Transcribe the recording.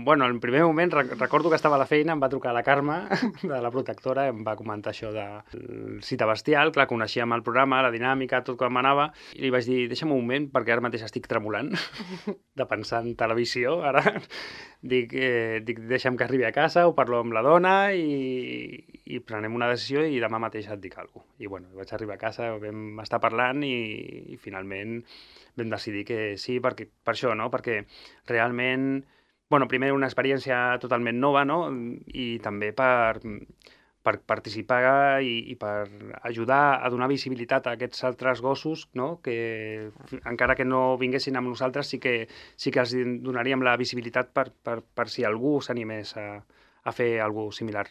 bueno, en primer moment recordo que estava a la feina, em va trucar la Carme, de la protectora, em va comentar això de cita bestial, clar, coneixíem el programa, la dinàmica, tot com anava, i li vaig dir, deixa'm un moment, perquè ara mateix estic tremolant de pensar en televisió, ara. Dic, deixa'm que arribi a casa, ho parlo amb la dona i prenem una decisió i demà mateix et dic alguna cosa. I bueno, vaig arribar a casa, vam estar parlant i finalment vam decidir que sí, per això, no? Perquè realment, bueno, primer una experiència totalment nova, no? I també per participar i per ajudar a donar visibilitat a aquests altres gossos, no? Que encara que no vinguessin amb nosaltres, sí que els donaríem la visibilitat per si algú s'animés a fer alguna cosa similar.